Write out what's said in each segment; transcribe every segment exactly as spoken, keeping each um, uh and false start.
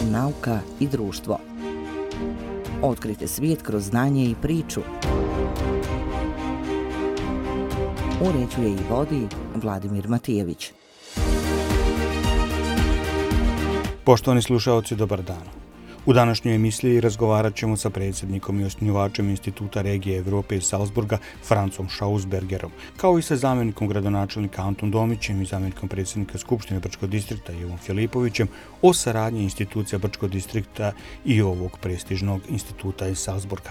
nauka i društvo. Otkrite svijet kroz znanje i priču. Uređuje i vodi Vladimir Matijević. Poštovani slušaoci, dobar dan. U današnjoj emisiji razgovarat ćemo sa predsjednikom i osnivačem Instituta regije Evrope iz Salzburga, Francom Schausbergerom, kao i sa zamjenikom gradonačelnika Antom Domićem i zamjenikom predsjednika Skupštine Brčkog distrikta Ivom Filipovićem o saradnji institucija Brčkog distrikta i ovog prestižnog instituta iz Salzburga.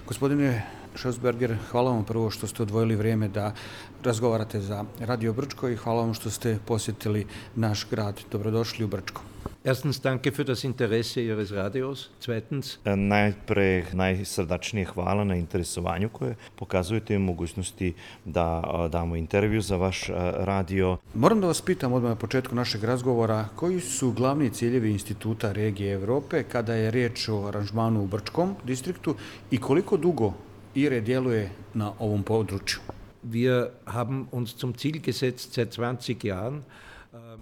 Gospodine Schausberger, hvala vam prvo što ste odvojili vrijeme da razgovarate za Radio Brčko i hvala vam što ste posjetili naš grad. Dobrodošli u Brčko. Erstens, danke für das Interesse Ihres Radios. Zweitens, najpre najsrdačnije hvala na interesovanju koje pokazujete mogućnosti da damo intervju za vaš radio. Moram da vas pitam odmah na početku našeg razgovora koji su glavni ciljevi Instituta regije Evrope kada je riječ o aranžmanu u Brčkom distriktu i koliko dugo I R E djeluje na ovom području? Wir haben uns zum Ziel gesetzt seit zwanzig Jahren.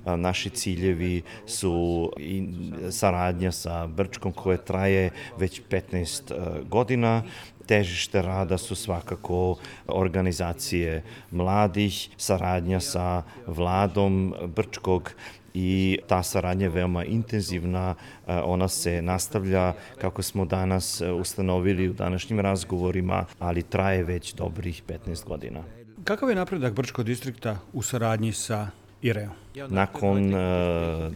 Naši ciljevi su i saradnja sa Brčkom koja traje već petnaest godina. Težište rada su svakako organizacije mladih, saradnja sa vladom Brčkog i ta saradnja je veoma intenzivna, ona se nastavlja kako smo danas ustanovili u današnjim razgovorima, ali traje već dobrih petnaest godina. Kakav je napredak Brčkog distrikta u saradnji sa I R E-om? Nakon uh,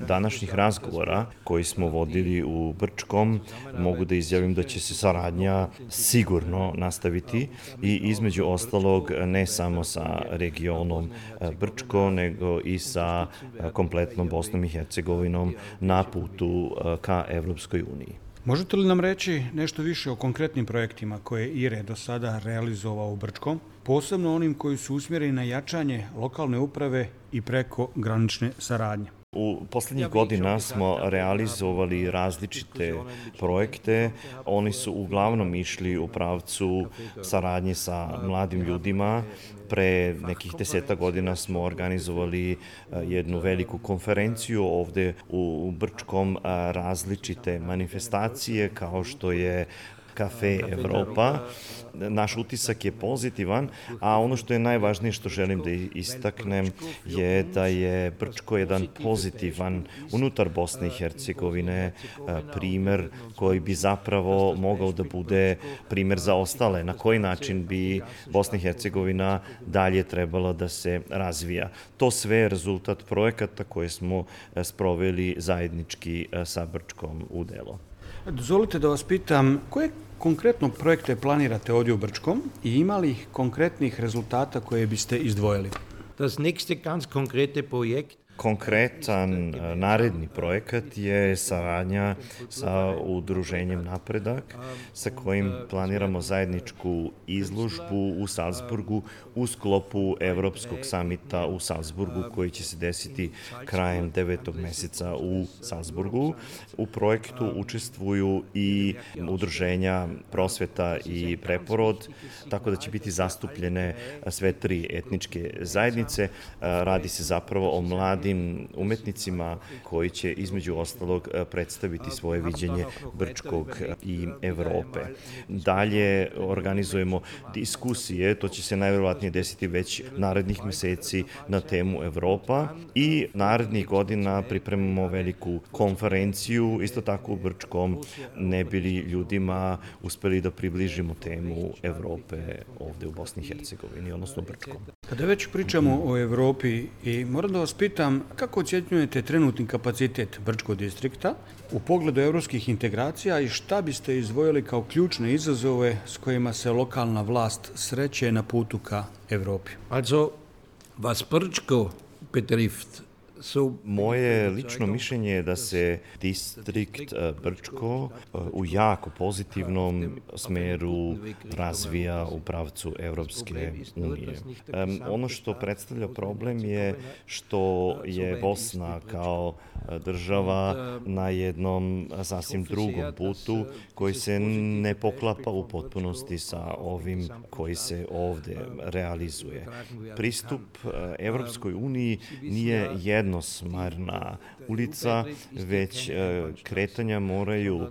današnjih razgovora koji smo vodili u Brčkom, mogu da izjavim da će se saradnja sigurno nastaviti i između ostalog ne samo sa regionom Brčko, nego i sa kompletnom Bosnom i Hercegovinom na putu uh, ka Evropskoj uniji. Možete li nam reći nešto više o konkretnim projektima koje je I R E do sada realizovao u Brčkom, posebno onim koji su usmjereni na jačanje lokalne uprave i preko granične saradnje? U posljednjih godina smo realizovali različite projekte. Oni su uglavnom išli u pravcu saradnje sa mladim ljudima. Pre nekih deseta godina smo organizovali jednu veliku konferenciju ovdje u Brčkom, različite manifestacije kao što je Kafe Evropa. Naš utisak je pozitivan, a ono što je najvažnije što želim da istaknem je da je Brčko jedan pozitivan unutar Bosne i Hercegovine primjer koji bi zapravo mogao da bude primjer za ostale. Na koji način bi Bosna i Hercegovina dalje trebala da se razvija. To sve je rezultat projekata koje smo sproveli zajednički sa Brčkom u delo. Dozvolite da vas pitam, koje konkretno projekte planirate ovdje u Brčkom i ima li konkretnih rezultata koje biste izdvojili? Das nächste ganz konkrete Projekt Konkretan naredni projekat je saradnja sa udruženjem Napredak, sa kojim planiramo zajedničku izložbu u Salzburgu u sklopu Evropskog samita u Salzburgu koji će se desiti krajem devetog mjeseca u Salzburgu. U projektu učestvuju i udruženja Prosveta i Preporod, tako da će biti zastupljene sve tri etničke zajednice. Radi se zapravo o mladim umetnicima koji će između ostalog predstaviti svoje viđenje Brčkog i Evrope. Dalje organizujemo diskusije, to će se najvjerovatnije desiti već narednih mjeseci na temu Evropa i narednih godina pripremamo veliku konferenciju, isto tako u Brčkom, ne bili ljudima uspeli da približimo temu Evrope ovdje u Bosni i Hercegovini, odnosno Brčkom. Kada već pričamo o Evropi i moram da vas pitam kako ocjenjujete trenutni kapacitet Brčkog distrikta u pogledu evropskih integracija i šta biste izdvojili kao ključne izazove s kojima se lokalna vlast sreće na putu ka Evropi? Also, was Brčko betrifft, moje lično mišljenje je da se distrikt Brčko u jako pozitivnom smjeru razvija u pravcu Evropske unije. Ono što predstavlja problem je što je Bosna kao država na jednom sasvim drugom putu koji se ne poklapa u potpunosti sa ovim koji se ovdje realizuje. Pristup Evropskoj uniji nije jednosmarna ulica, već kretanja moraju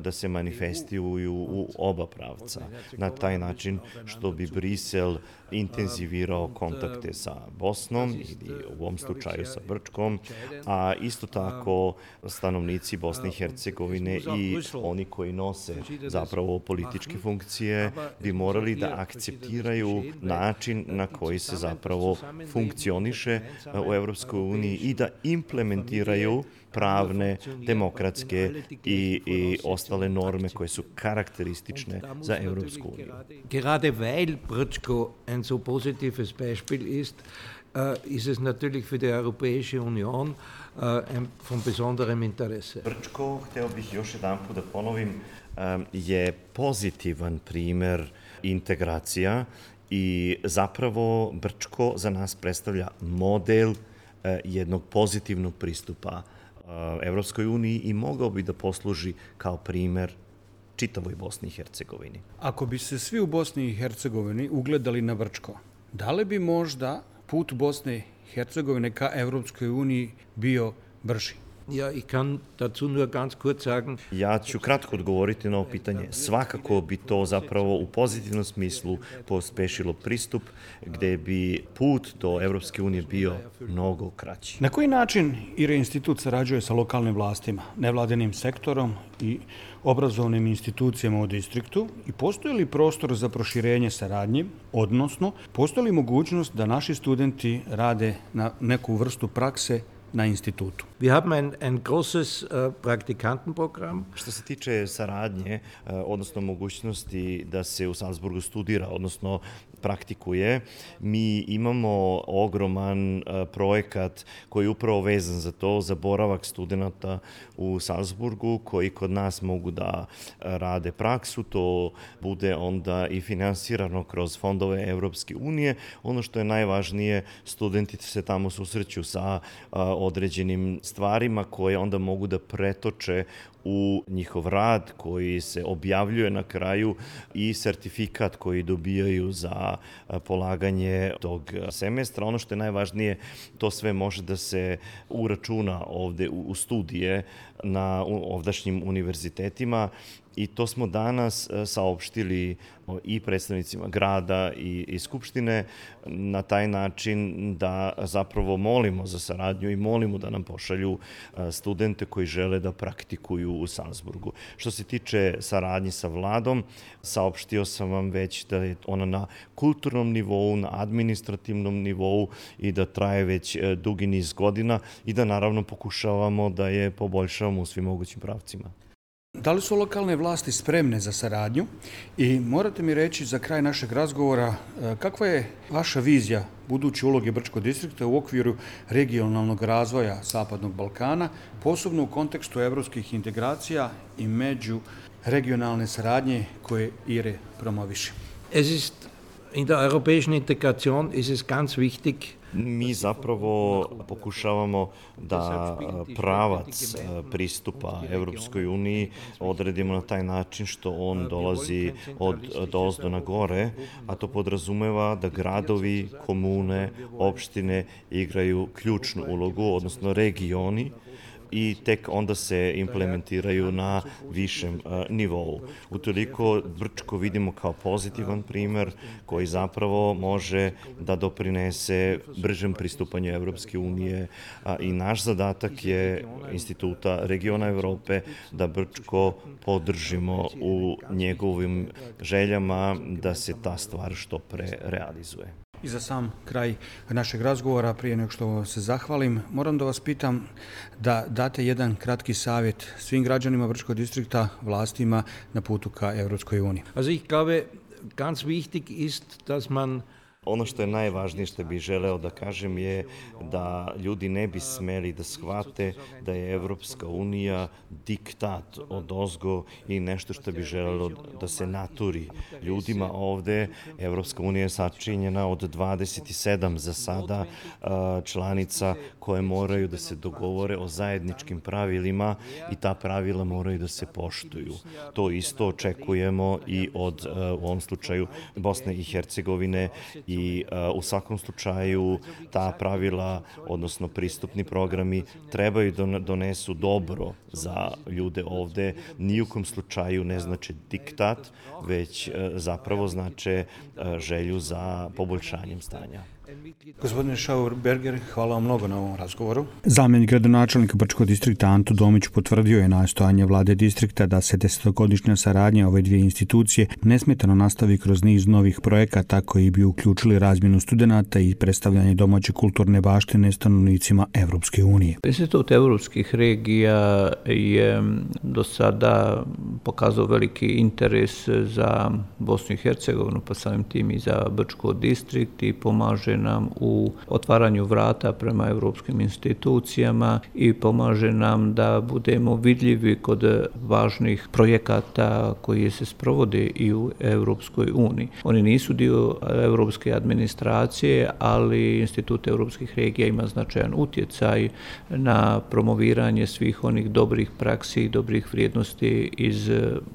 da se manifestuju u oba pravca. Na taj način što bi Brisel intenzivirao kontakte sa Bosnom ili u ovom slučaju sa Brčkom, a isto tako stanovnici Bosne i Hercegovine i oni koji nose zapravo političke funkcije bi morali da akceptiraju način na koji se zapravo funkcioniše u Evropskoj uniji i da implementiraju pravne, demokratske i, i ostale norme koje su karakteristične za Evropsku uniju. Gerade weil Brčko ein so positives Beispiel ist, uh, ist es natürlich für die Europäische Union uh, ein, von besonderem Interesse. Brčko, hteo bih još jedan put da ponovim, um, je pozitivan primer integracija i zapravo Brčko za nas predstavlja model uh, jednog pozitivnog pristupa Evropskoj uniji i mogao bi da posluži kao primer čitavoj Bosni i Hercegovini. Ako bi se svi u Bosni i Hercegovini ugledali na Brčko, da li bi možda put Bosne i Hercegovine ka Evropskoj uniji bio brži? Ja, ich kann dazu nur ganz kurz sagen. Ja ću kratko odgovoriti na ovo pitanje. Svakako bi to zapravo u pozitivnom smislu pospešilo pristup gde bi put do Evropske unije bio mnogo kraći. Na koji način I R E institut sarađuje sa lokalnim vlastima, nevladinim sektorom i obrazovnim institucijama u distriktu i postoji li prostor za proširenje saradnje, odnosno postoji li mogućnost da naši studenti rade na neku vrstu prakse na institutu? Wir haben ein, ein großes uh, Praktikantenprogramm. Što se tiče saradnje, uh, odnosno mogućnosti da se u Salzburgu studira, odnosno praktikuje, mi imamo ogroman uh, projekat koji je upravo vezan za to, za boravak studenta u Salzburgu, koji kod nas mogu da rade praksu, to bude onda i finansirano kroz fondove Evropske unije. Ono što je najvažnije, studenti se tamo susreću sa uh, određenim stvarima koje onda mogu da pretoče u njihov rad koji se objavljuje na kraju i sertifikat koji dobijaju za polaganje tog semestra. Ono što je najvažnije, to sve može da se uračuna ovde u studije na ovdašnjim univerzitetima i to smo danas saopštili i predstavnicima grada i, i skupštine na taj način da zapravo molimo za saradnju i molimo da nam pošalju studente koji žele da praktikuju u Salzburgu. Što se tiče saradnje sa vladom, saopštio sam vam već da je ona na kulturnom nivou, na administrativnom nivou i da traje već dugi niz godina i da naravno pokušavamo da je poboljšavamo u svim mogućim pravcima. Da li su lokalne vlasti spremne za saradnju i morate mi reći za kraj našeg razgovora kakva je vaša vizija buduće uloge Brčkog distrikta u okviru regionalnog razvoja Zapadnog Balkana, posebno u kontekstu evropskih integracija i među regionalne saradnje koje I R E promoviše? Es ist in der europäischen Integration ist es ganz wichtig. Mi zapravo pokušavamo da pravac pristupa Evropskoj uniji odredimo na taj način što on dolazi od dozdo na gore, a to podrazumeva da gradovi, komune, opštine igraju ključnu ulogu, odnosno regioni, i tek onda se implementiraju na višem nivou. Utoliko Brčko vidimo kao pozitivan primer koji zapravo može da doprinese bržem pristupanju Evropske unije i naš zadatak je Instituta regiona Evrope da Brčko podržimo u njegovim željama da se ta stvar što pre realizuje. I za sam kraj našeg razgovora, prije nego što se zahvalim, moram da vas pitam da date jedan kratki savjet svim građanima Brčkog distrikta, vlastima na putu ka Evropskoj uniji. Also ich glaube, ganz wichtig ist, dass man Ono što je najvažnije što bih želeo da kažem je da ljudi ne bi smeli da shvate da je Evropska unija diktat od ozgo i nešto što bi želelo da se naturi ljudima ovde. Evropska unija je sačinjena od dvadeset sedam za sada članica koje moraju da se dogovore o zajedničkim pravilima i ta pravila moraju da se poštuju. To isto očekujemo i od, u ovom slučaju, Bosne i Hercegovine i i u svakom slučaju ta pravila, odnosno pristupni programi, trebaju da donesu dobro za ljude ovde. Ni u kom slučaju ne znači diktat, već zapravo znače želju za poboljšanjem stanja. Gospodine Schauberger, hvala vam mnogo na ovom razgovoru. Zamjenik gradonačelnika Brčkog distrikta Anto Domić potvrdio je nastojanje vlade distrikta da se desetogodišnja saradnja ove dvije institucije nesmetano nastavi kroz niz novih projekata koji bi uključili razmjenu studenata i predstavljanje domaće kulturne baštine stanovnicima Evropske unije. Institut evropskih regija je do sada pokazao veliki interes za Bosnu i Hercegovinu, pa samim tim i za Brčko distrikt i pomaže nam u otvaranju vrata prema evropskim institucijama i pomaže nam da budemo vidljivi kod važnih projekata koji se sprovode i u Evropskoj uniji. Oni nisu dio evropske administracije, ali Institut evropskih regija ima značajan utjecaj na promoviranje svih onih dobrih praksi i dobrih vrijednosti iz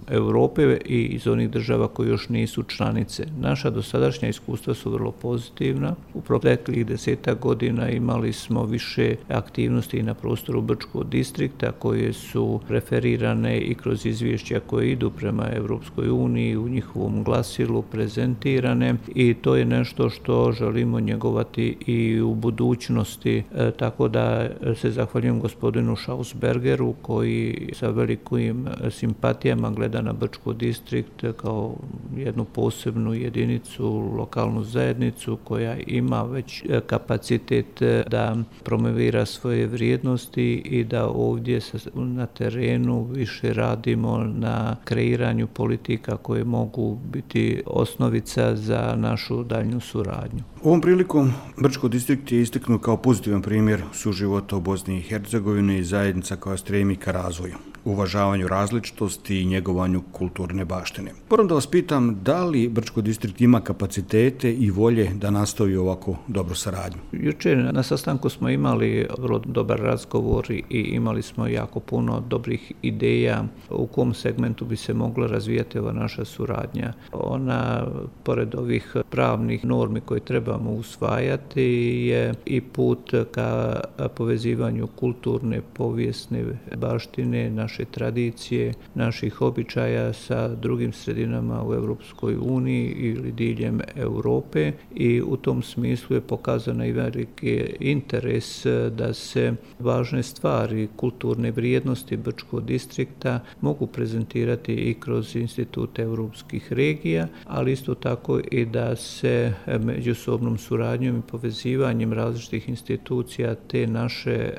Europe i iz onih država koji još nisu članice. Naša dosadašnja iskustva su vrlo pozitivna. U proteklih desetak godina imali smo više aktivnosti i na prostoru Brčkog distrikta koje su referirane i kroz izvješća koje idu prema Evropskoj uniji u njihovom glasilu prezentirane i to je nešto što želimo njegovati i u budućnosti. E, tako da se zahvaljujem gospodinu Schausbergeru koji sa velikim simpatijama gleda na Brčko distrikt kao jednu posebnu jedinicu, lokalnu zajednicu koja ima već kapacitet da promovira svoje vrijednosti i da ovdje na terenu više radimo na kreiranju politika koje mogu biti osnovica za našu daljnju suradnju. Ovom prilikom Brčko distrikt je istaknut kao pozitivan primjer suživota u Bosni i Hercegovini i zajednica koja stremi ka razvoju, uvažavanju različitosti i njegovanju kulturne baštine. Moram da vas pitam, da li Brčko distrikt ima kapacitete i volje da nastavi ovako dobru saradnju? Jučer na sastanku smo imali vrlo dobar razgovor i imali smo jako puno dobrih ideja u kom segmentu bi se mogla razvijati ova naša suradnja. Ona, pored ovih pravnih normi koje trebamo usvajati, je i put ka povezivanju kulturne, povijesne baštine, naše tradicije, naših običaja sa drugim sredinama u Evropskoj uniji ili diljem Europe i u tom smislu je pokazana i veliki interes da se važne stvari, kulturne vrijednosti Brčkog distrikta mogu prezentirati i kroz Institut evropskih regija, ali isto tako i da se međusobnom suradnjom i povezivanjem različitih institucija te naše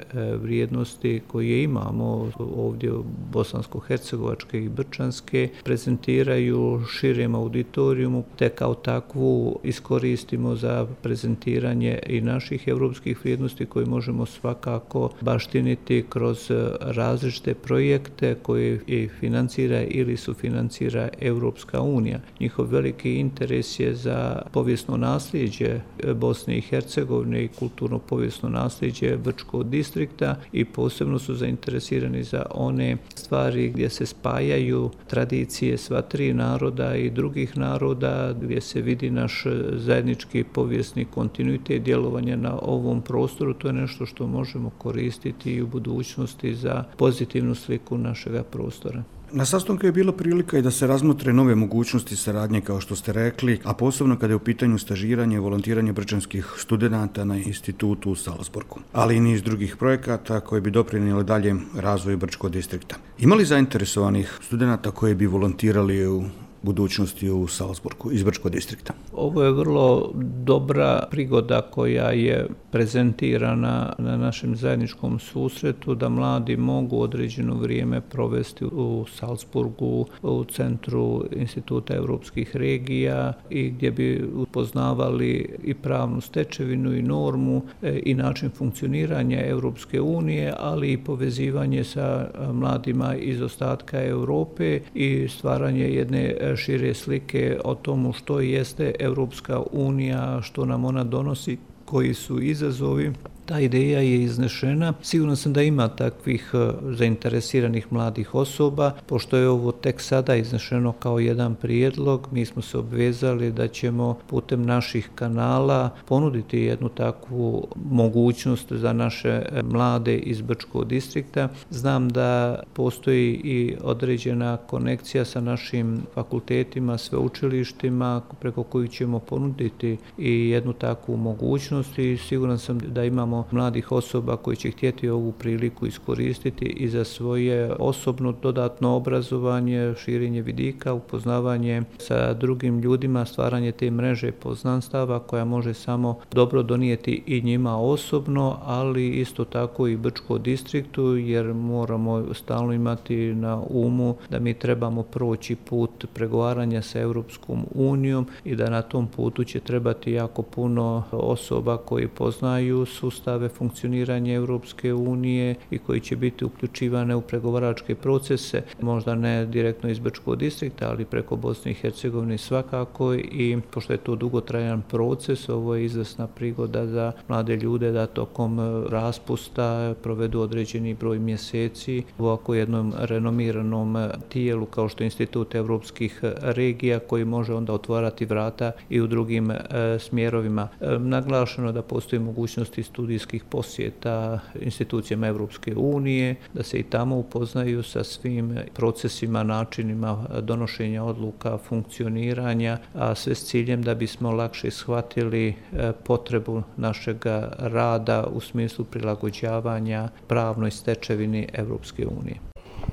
vrijednosti koje imamo ovdje bosansko-hercegovačke i brčanske prezentiraju širem auditorijumu, te kao takvu iskoristimo za prezentiranje i naših evropskih vrijednosti koje možemo svakako baštiniti kroz različite projekte koje i financira ili sufinancira Evropska unija. Njihov veliki interes je za povijesno nasljeđe Bosne i Hercegovine i kulturno-povijesno nasljeđe Brčkog distrikta i posebno su zainteresirani za one stvari gdje se spajaju tradicije sva tri naroda i drugih naroda, gdje se vidi naš zajednički povijesni kontinuitet djelovanja na ovom prostoru. To je nešto što možemo koristiti i u budućnosti za pozitivnu sliku našega prostora. Na sastanku je bila prilika i da se razmotre nove mogućnosti saradnje, kao što ste rekli, a posebno kada je u pitanju stažiranje i volontiranje brčanskih studenata na institutu u Salzburgu, ali i niz drugih projekata koji bi doprinijeli daljem razvoju Brčkog distrikta. Ima li zainteresovanih studenata koji bi volontirali u budućnosti u Salzburgu iz Brčkog distrikta? Ovo je vrlo dobra prigoda koja je prezentirana na našem zajedničkom susretu da mladi mogu određeno vrijeme provesti u Salzburgu, u centru Instituta evropskih regija i gdje bi upoznavali i pravnu stečevinu i normu i način funkcioniranja Evropske unije, ali i povezivanje sa mladima iz ostatka Europe i stvaranje jedne šire slike o tomu što jeste Evropska unija, što nam ona donosi, koji su izazovi Ta ideja je iznešena. Siguran sam da ima takvih zainteresiranih mladih osoba. Pošto je ovo tek sada iznešeno kao jedan prijedlog, mi smo se obvezali da ćemo putem naših kanala ponuditi jednu takvu mogućnost za naše mlade iz Brčkog distrikta. Znam da postoji i određena konekcija sa našim fakultetima, sveučilištima preko kojih ćemo ponuditi i jednu takvu mogućnost i siguran sam da imamo mladih osoba koji će htjeti ovu priliku iskoristiti i za svoje osobno dodatno obrazovanje, širenje vidika, upoznavanje sa drugim ljudima, stvaranje te mreže poznanstava koja može samo dobro donijeti i njima osobno, ali isto tako i Brčkom distriktu, jer moramo stalno imati na umu da mi trebamo proći put pregovaranja sa Europskom unijom i da na tom putu će trebati jako puno osoba koji poznaju sustave funkcioniranja Europske unije i koji će biti uključivane u pregovaračke procese, možda ne direktno iz Brčkog distrikta, ali preko Bosne i Hercegovine svakako i pošto je to dugotrajan proces, ovo je izvrsna prigoda za mlade ljude da tokom raspusta provedu određeni broj mjeseci u ovako jednom renomiranom tijelu kao što je Institut evropskih regija koji može onda otvarati vrata i u drugim e, smjerovima. E, naglašeno da postoji mogućnosti studijskih posjeta institucijama Evropske unije, da se i tamo upoznaju sa svim procesima, načinima donošenja odluka, funkcioniranja, a sve s ciljem da bismo lakše shvatili e, potrebu našeg rada u smislu prilagođavanja pravnoj stečevini Evropske unije.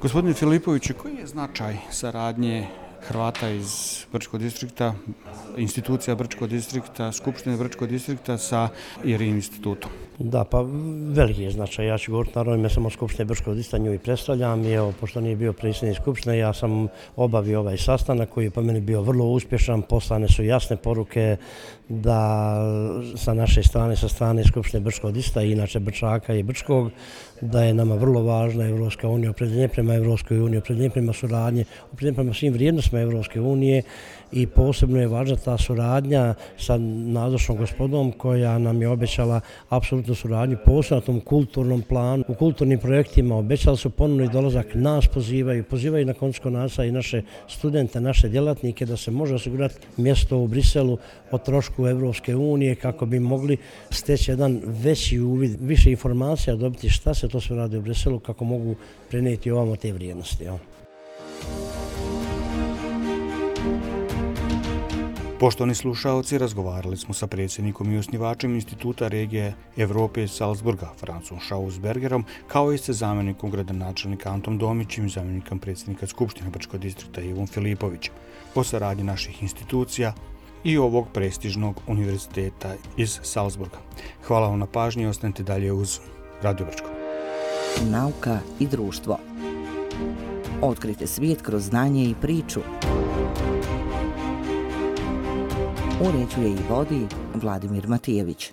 Gospodine Filipoviću, koji je značaj saradnje Hrvata iz Brčkog distrikta, institucija Brčkog distrikta, Skupštine Brčkog distrikta sa I R I institutom? Da, pa veliki je značaj. Ja ću govoriti naravno ime samo Skupštine Brčkog distrikta, nju i predstavljam. I evo, pošto nije bio predsjednik Skupštine, ja sam obavio ovaj sastanak koji je po meni bio vrlo uspješan. Poslane su jasne poruke da sa naše strane, sa strane Skupštine Brčkog distrikta i inače Brčaka i Brčkog, da je nama vrlo važna Evropska unija, opredjeljenje prema Evropskoj uniji, opredjeljenje prema suradnji, opredjeljenje prema svim vrijednostima Evropske unije i posebno je važna ta suradnja sa nazočnom gospodom koja nam je obećala apsolutnu suradnju, posebno na tom kulturnom planu, u kulturnim projektima, obećali su ponovno i dolazak, nas pozivaju, pozivaju na koncu konaca i naše studente, naše djelatnike da se može osigurati mjesto u Briselu o trošku Evropske unije kako bi mogli steći jedan veći uvid, više informacija dobiti šta se to sve radi u Briselu, kako mogu prenijeti ovamo te vrijednosti. Ja. Poštovani slušaoci, razgovarali smo sa predsjednikom i osnivačem Instituta regije Evrope iz Salzburga, Francom Schausbergerom, kao i sa zamjenikom gradonačelnika Antom Domićem i zamjenikom predsjednika Skupštine Brčkog distrikta Ivom Filipovićem o saradnji naših institucija i ovog prestižnog univerziteta iz Salzburga. Hvala vam na pažnji i ostanite dalje uz Radio Brčko. Nauka i društvo. Otkrite svijet kroz znanje i priču. Uređuje i vodi Vladimir Matijević.